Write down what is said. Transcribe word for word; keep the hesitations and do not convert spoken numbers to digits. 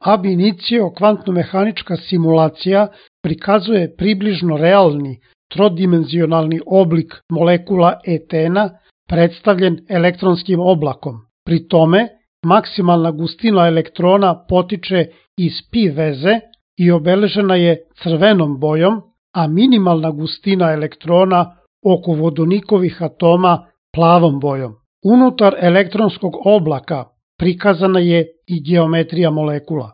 Ab initio kvantno-mehanička simulacija prikazuje približno realni trodimenzionalni oblik molekula etena predstavljen elektronskim oblakom. Pri tome, maksimalna gustina elektrona potiče iz pi veze i obeležena je crvenom bojom, a minimalna gustina elektrona oko vodonikovih atoma plavom bojom. Unutar elektronskog oblaka prikazana je i geometrija molekula.